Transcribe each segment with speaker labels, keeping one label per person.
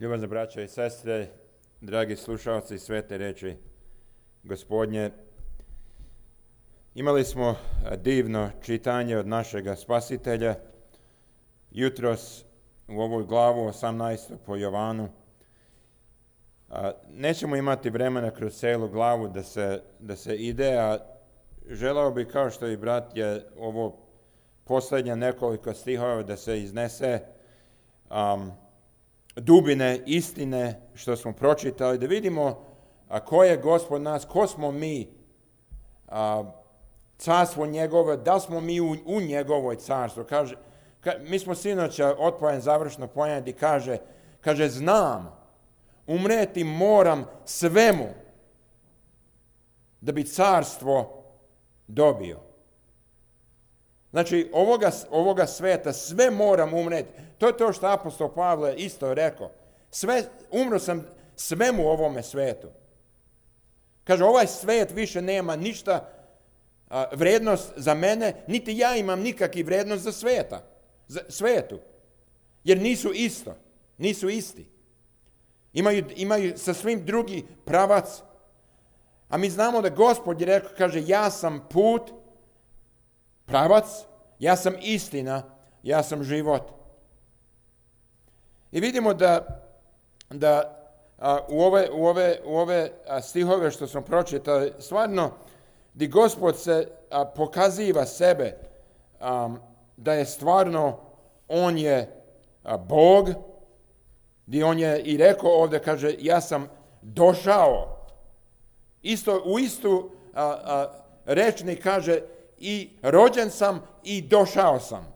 Speaker 1: Ljubazne braće i sestre, dragi slušalci svete riječi Gospodnje, imali smo divno čitanje od našega Spasitelja jutros u ovoj glavu 18. po Jovanu. Nećemo imati vremena kroz celu glavu da se ide, a želao bi, kao što i brat je ovo posljednje nekoliko stihova, da se iznese dubine istine što smo pročitali, da vidimo ko je Gospod nas, ko smo mi, carstvo njegove, da smo mi u njegovoj carstvu. Mi smo sinoć otpojen završno pojem i kaže znam, umreti moram svemu da bi carstvo dobio. Znači, ovoga sveta sve moram umreti. To je to što apostol Pavle isto rekao. Umro sam svemu ovome svetu. Kaže, ovaj svet više nema ništa vrednost za mene, niti ja imam nikakvu vrednost za svetu. Jer nisu isti. Imaju sasvim drugi pravac. A mi znamo da Gospod je rekao, kaže, ja sam put, pravac, ja sam istina, ja sam život. I vidimo da u ove stihove što smo pročitali, stvarno, gdje Gospod se pokaziva sebe, da je stvarno, on je Bog, gdje on je i rekao ovdje, kaže, ja sam došao. U istu rečnik kaže, i rođen sam i došao sam.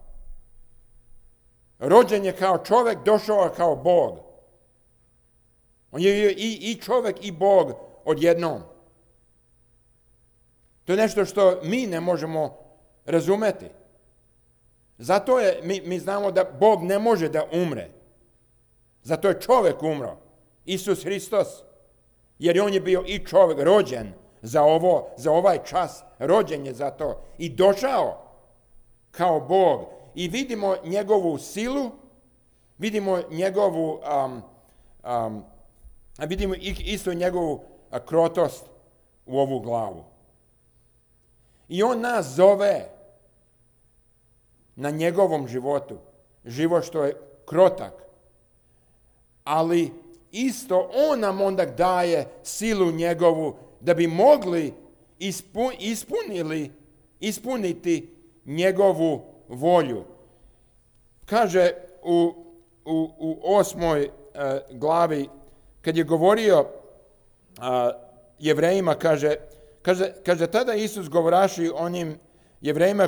Speaker 1: Rođen je kao čovjek, došao je kao Bog. On je i čovjek i Bog odjednom. To je nešto što mi ne možemo razumeti. Zato mi znamo da Bog ne može da umre. Zato je čovjek umro. Isus Hristos. Jer on je bio i čovjek rođen za ovaj čas. Rođen je za to. I došao kao Bog. I vidimo njegovu silu, vidimo njegovu, vidimo isto njegovu krotost u ovu glavu. I on nas zove na njegovom životu. Život što je krotak. Ali isto on nam onda daje silu njegovu da bi mogli ispuniti njegovu volju. Kaže u 8. glavi, kad je govorio Jevrejima, kaže tada Isus govoraši onim Jevrejima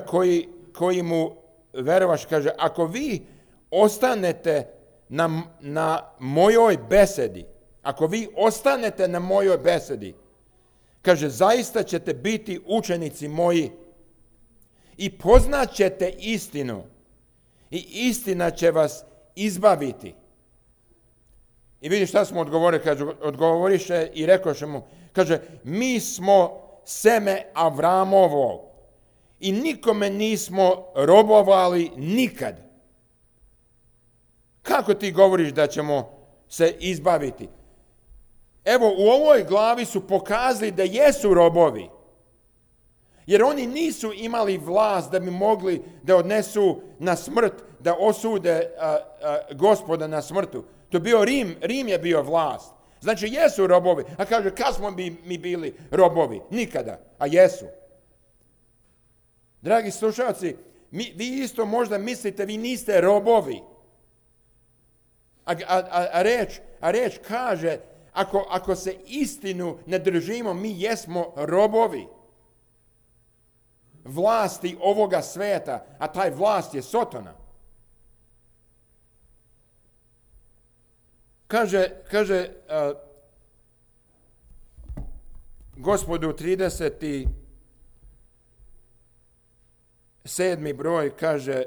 Speaker 1: koji mu verovaš, kaže, ako vi ostanete na mojoj besedi, kaže, zaista ćete biti učenici moji i poznat ćete istinu i istina će vas izbaviti. I vidi šta smo odgovorili, kaže, odgovoriše i rekoše mu, kaže, mi smo seme Avramovo i nikome nismo robovali nikad. Kako ti govoriš da ćemo se izbaviti? Evo, u ovoj glavi su pokazali da jesu robovi. Jer oni nisu imali vlast da bi mogli da odnesu na smrt, da osude Gospoda na smrtu. To je bio Rim je bio vlast. Znači, jesu robovi. A kaže, kad smo mi bili robovi? Nikada. A jesu. Dragi slušalci, vi isto možda mislite, vi niste robovi. A reč kaže, ako se istinu ne držimo, mi jesmo robovi vlasti ovoga sveta, a taj vlast je Sotona. Kaže Gospodu 37. broj, kaže,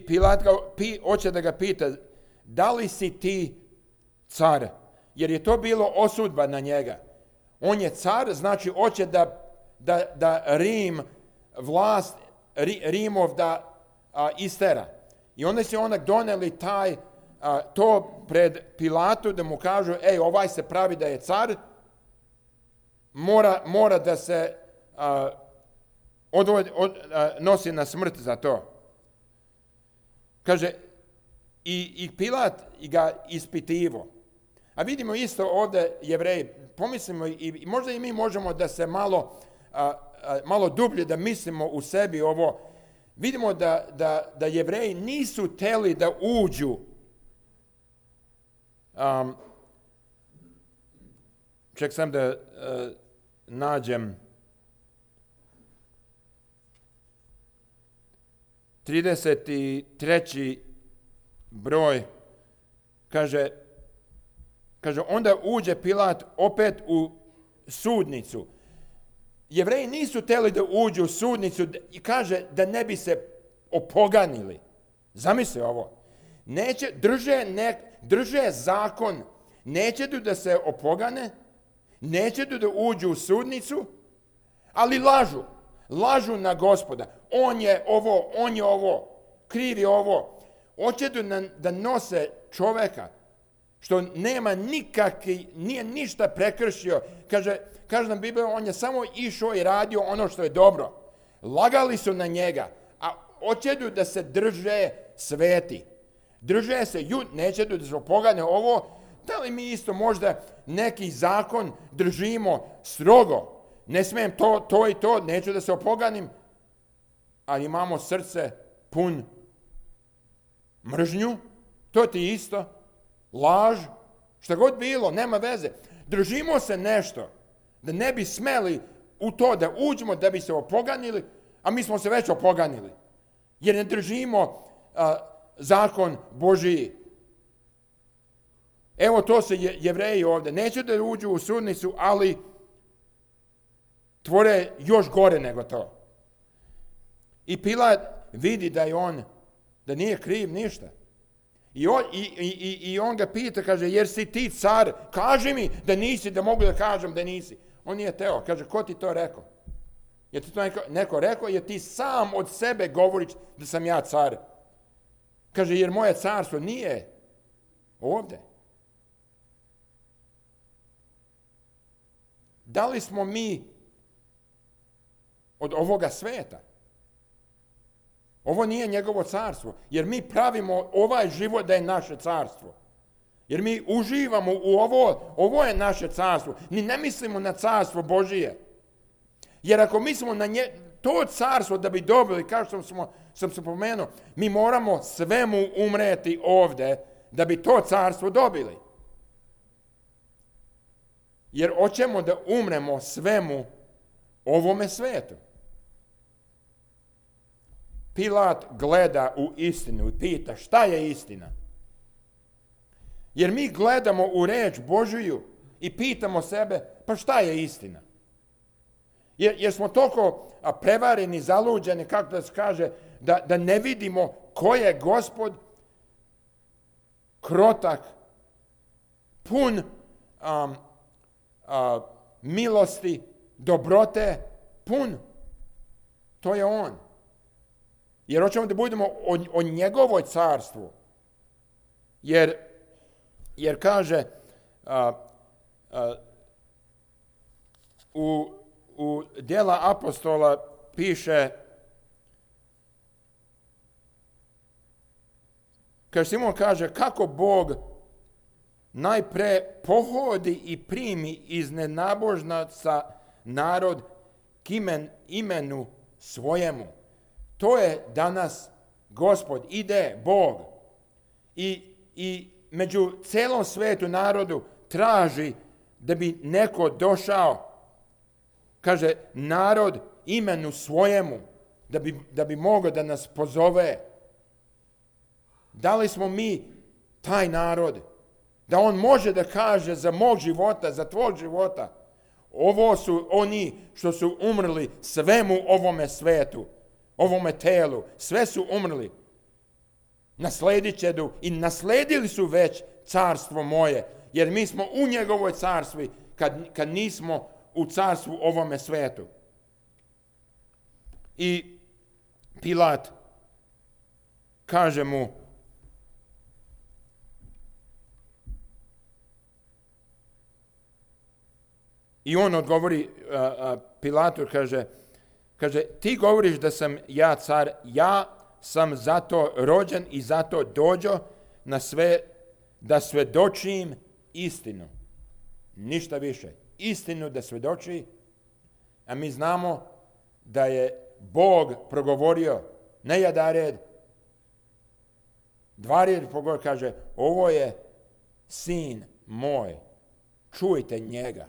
Speaker 1: Pilat hoće da ga pita, da li si ti car jer je to bilo osudba na njega. On je car, znači hoće da Rim, vlast Rimov da istera. I onda su onak doneli to pred Pilatu da mu kažu, ovaj se pravi da je car, mora da se nosi na smrt za to. Kaže, i Pilat ga ispitivo. A vidimo isto ovdje Jevreji, pomislimo i možda i mi možemo da se malo dublje da mislimo u sebi ovo. Vidimo da Jevreji nisu htjeli da uđu ček sam da nađem 33. broj, kaže, onda uđe Pilat opet u sudnicu. Jevreji nisu htjeli da uđu u sudnicu i kaže da ne bi se opoganili. Zamisli ovo. Drže zakon, neće da se opogane, neće da uđu u sudnicu, ali lažu na Gospoda. On je ovo, kriv je ovo. Hoće da nose čoveka što nema nije ništa prekršio. Kaže nam Biblija, on je samo išao i radio ono što je dobro. Lagali su na njega, a hoće da se drže sveti. Drže se, neće da se opogane ovo. Da li mi isto možda neki zakon držimo strogo? Ne smijem to i to, neću da se opoganim, ali imamo srce pun mržnju, to ti isto, laž, šta god bilo, nema veze. Držimo se nešto, da ne bi smeli u to da uđemo, da bi se opoganili, a mi smo se već opoganili. Jer ne držimo zakon Božiji. Evo to se Jevreji ovdje. Neće da uđu u sudnicu, ali tvore još gore nego to. I Pilat vidi da nije kriv ništa. I on ga pita, kaže, jer si ti car? Kaži mi da nisi, da mogu da kažem da nisi. On nije teo. Kaže, ko ti to rekao? Je ti to neko rekao? Jer ti sam od sebe govoriš da sam ja car. Kaže, jer moje carstvo nije ovdje. Da li smo mi od ovoga sveta? Ovo nije njegovo carstvo, jer mi pravimo ovaj život da je naše carstvo. Jer mi uživamo u ovo je naše carstvo. Ni ne mislimo na carstvo Božije. Jer ako mislimo na to carstvo da bi dobili, kao što sam se pomenuo, mi moramo svemu umreti ovdje da bi to carstvo dobili. Jer hoćemo da umremo svemu ovome svetu. Pilat gleda u istinu i pita šta je istina. Jer mi gledamo u reč Božiju i pitamo sebe, pa šta je istina? Jer smo toliko prevareni, zaluđeni, kako da se kaže, da ne vidimo ko je Gospod, krotak, pun milosti, dobrote, pun. To je on. Jer hoćemo da budemo o njegovoj carstvu. Jer kaže u Djela apostola piše, kaže Simon kaže, kako Bog najpre pohodi i primi iz nenabožnaca narod k imenu svojemu. To je danas Gospod, ide Bog i među celom svetu narodu traži da bi neko došao, kaže narod imenu svojemu, da bi mogao da nas pozove. Da li smo mi taj narod? Da on može da kaže za mog života, za tvog života, ovo su oni što su umrli svemu ovome svetu, ovome telu, sve su umrli. Nasledit će i nasledili su već carstvo moje, jer mi smo u njegovoj carstvi kad nismo u carstvu ovome svetu. I Pilat kaže mu, i on odgovori Pilatu, kaže, ti govoriš da sam ja car, ja sam zato rođen i zato dođo na sve da svedočim istinu. Ništa više. Istinu da svedoči, a mi znamo da je Bog progovorio ne jedared, dvared progovorio, kaže, ovo je sin moj, čujte njega.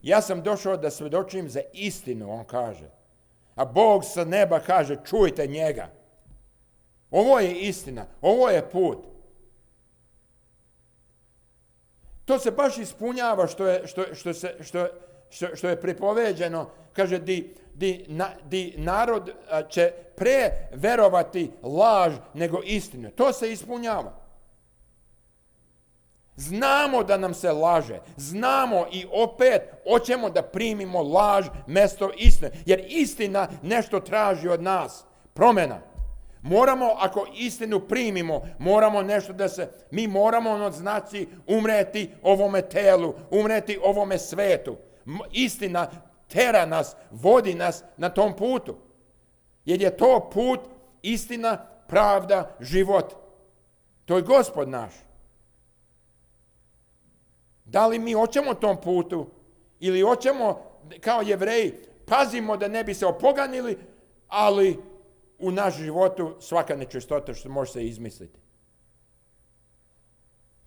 Speaker 1: Ja sam došao da svedočim za istinu, on kaže. A Bog sa neba kaže, čujte njega. Ovo je istina, ovo je put. To se baš ispunjava što je pripoveđeno. Kaže, di narod će pre verovati laž nego istinu. To se ispunjava. Znamo da nam se laže. Znamo i opet hoćemo da primimo laž mjesto istine. Jer istina nešto traži od nas. Promjena. Moramo, ako istinu primimo, moramo nešto mi moramo, znači, umreti ovome telu, umreti ovome svetu. Istina tera nas, vodi nas na tom putu. Jer je to put, istina, pravda, život. To je Gospod naš. Da li mi hoćemo tom putu ili hoćemo, kao Jevreji, pazimo da ne bi se opoganili, ali u naš životu svaka nečistota što može se izmisliti.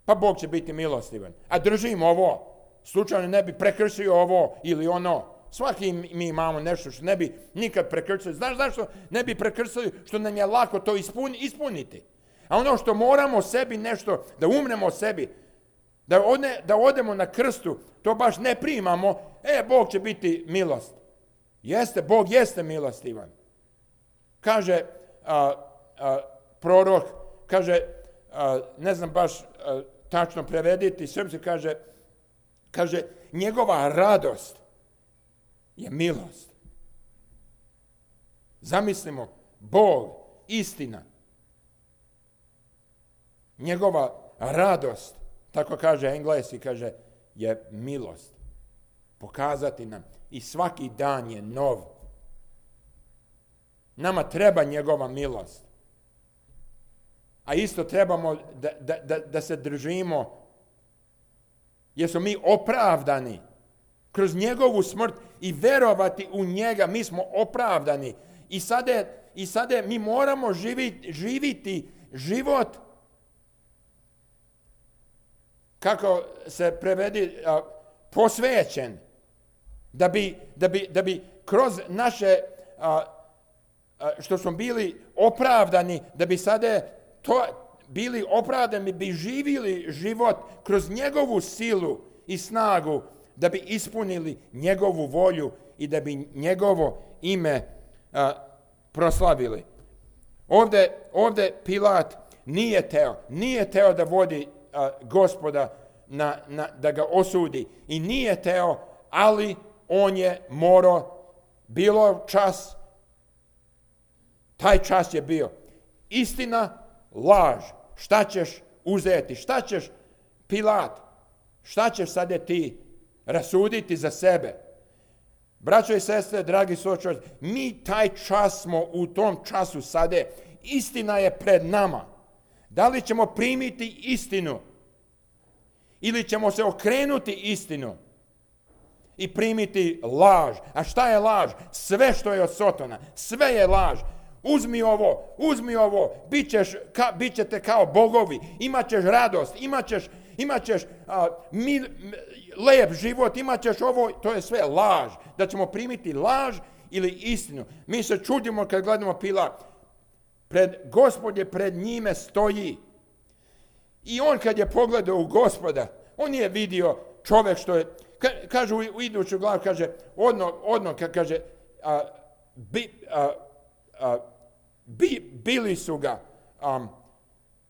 Speaker 1: Pa Bog će biti milostivan. A držimo ovo. Slučajno ne bi prekršio ovo ili ono. Svaki mi imamo nešto što ne bi nikad prekršili. Znaš zašto ne bi prekršili? Što nam je lako to ispuniti. A ono što moramo sebi nešto, da umremo sebi, da odemo na krstu, to baš ne primamo. Bog će biti milost. Jeste, Bog jeste milostivan. Kaže prorok, kaže, ne znam baš tačno prevediti, srpski kaže, njegova radost je milost. Zamislimo, Bog, istina, njegova radost, tako kaže engleski, kaže, je milost. Pokazati nam i svaki dan je nov. Nama treba njegova milost. A isto trebamo da se držimo, jer smo mi opravdani kroz njegovu smrt i verovati u njega. Mi smo opravdani. I sada mi moramo živiti život, kako se prevedi, posvećen. Da bi kroz naše što smo bili opravdani, da bi sada to bili opravdani, bi živjeli život kroz njegovu silu i snagu, da bi ispunili njegovu volju i da bi njegovo ime proslavili. Ovdje Pilat nije teo da vodi Gospoda da ga osudi i nije teo, ali on je morao, bilo čas, taj čas je bio. Istina, laž. Šta ćeš uzeti? Šta ćeš, Pilat? Šta ćeš sada ti rasuditi za sebe? Braćo i sestre, dragi suočači, mi taj čas smo u tom času sada. Istina je pred nama. Da li ćemo primiti istinu? Ili ćemo se okrenuti istinu i primiti laž? A šta je laž? Sve što je od Sotona. Sve je laž. Uzmi ovo, bit ćete kao bogovi, imat ćeš radost, imat ćeš lep život, imat ćeš ovo, to je sve laž. Da ćemo primiti laž ili istinu. Mi se čudimo kad gledamo Pilat. Gospod je pred njime stoji. I on kad je pogledao u Gospoda, on je vidio čovjek što je, kaže u iduću glavu, kaže, kaže, bili su ga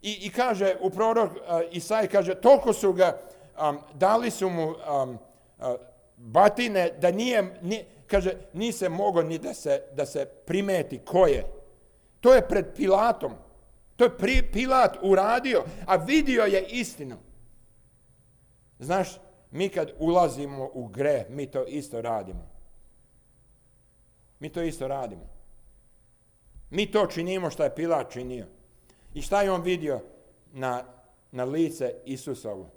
Speaker 1: I kaže u prorok Isaiji, kaže, toliko su ga, dali su mu batine, da kaže, nije se mogao ni da se primeti ko je. To je pred Pilatom. To je Pilat uradio, a vidio je istinu. Znaš, mi kad ulazimo u greh, mi to isto radimo. Mi to isto radimo. Mi to činimo što je Pilat činio. I šta je on vidio na lice Isusovo?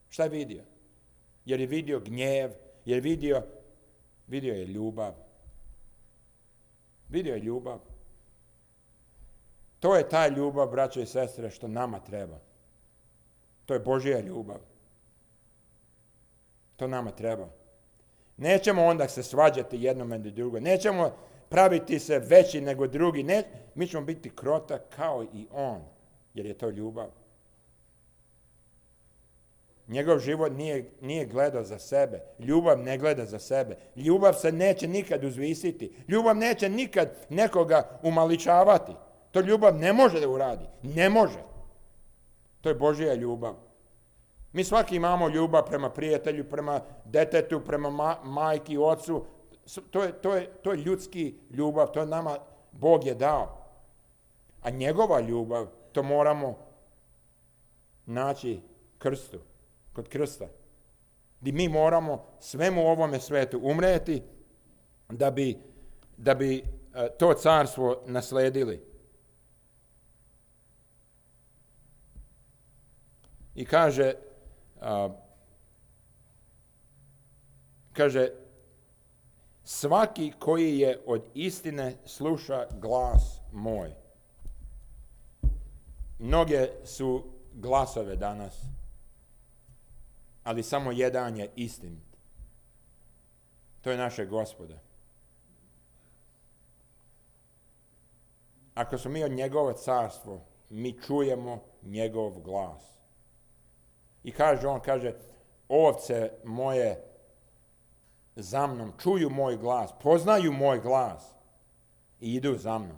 Speaker 1: Šta je vidio? Jer je vidio gnjev, jer vidio je ljubav. Vidio je ljubav. To je ta ljubav, braćo i sestre, što nama treba. To je Božja ljubav. To nama treba. Nećemo onda se svađati jednome i drugo. Nećemo praviti se veći nego drugi. Mi ćemo biti krotak kao i on, jer je to ljubav. Njegov život nije gledao za sebe. Ljubav ne gleda za sebe. Ljubav se neće nikad uzvisiti. Ljubav neće nikad nekoga umaličavati. To ljubav ne može da uradi. Ne može. To je Božja ljubav. Mi svaki imamo ljubav prema prijatelju, prema detetu, prema majki, ocu. To je ljudski ljubav. To nama Bog je dao. A njegova ljubav, to moramo naći krstu. Kod krsta. Gdje mi moramo svemu ovome svetu umreti da bi to carstvo nasledili. I kaže, svaki koji je od istine sluša glas moj. Mnoge su glasove danas, ali samo jedan je istinit. To je naše Gospoda. Ako smo mi od njegovo carstvo, mi čujemo njegov glas. I on kaže, ovce moje za mnom čuju moj glas, poznaju moj glas i idu za mnom.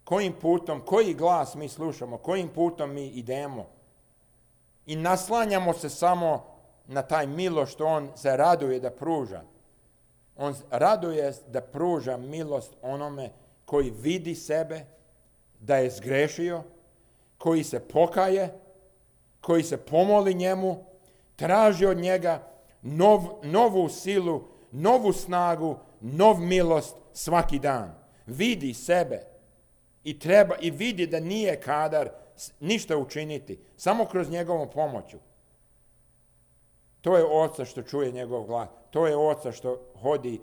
Speaker 1: Kojim putom, koji glas mi slušamo, kojim putom mi idemo? I naslanjamo se samo na taj milost što on se raduje da pruža. On raduje da pruža milost onome koji vidi sebe, da je zgrešio, koji se pokaje, koji se pomoli njemu, traži od njega novu silu, novu snagu, nov milost svaki dan. Vidi sebe i vidi da nije kadar ništa učiniti, samo kroz njegovu pomoću. To je oca što čuje njegov glas, to je oca što hodi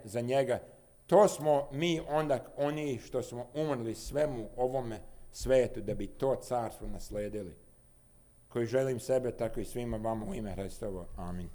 Speaker 1: za njega. To smo mi onda oni što smo umrli svemu ovome svetu da bi to carstvo nasledili. Koji želim sebe, tako i svima vama u ime Hristovo. Amin.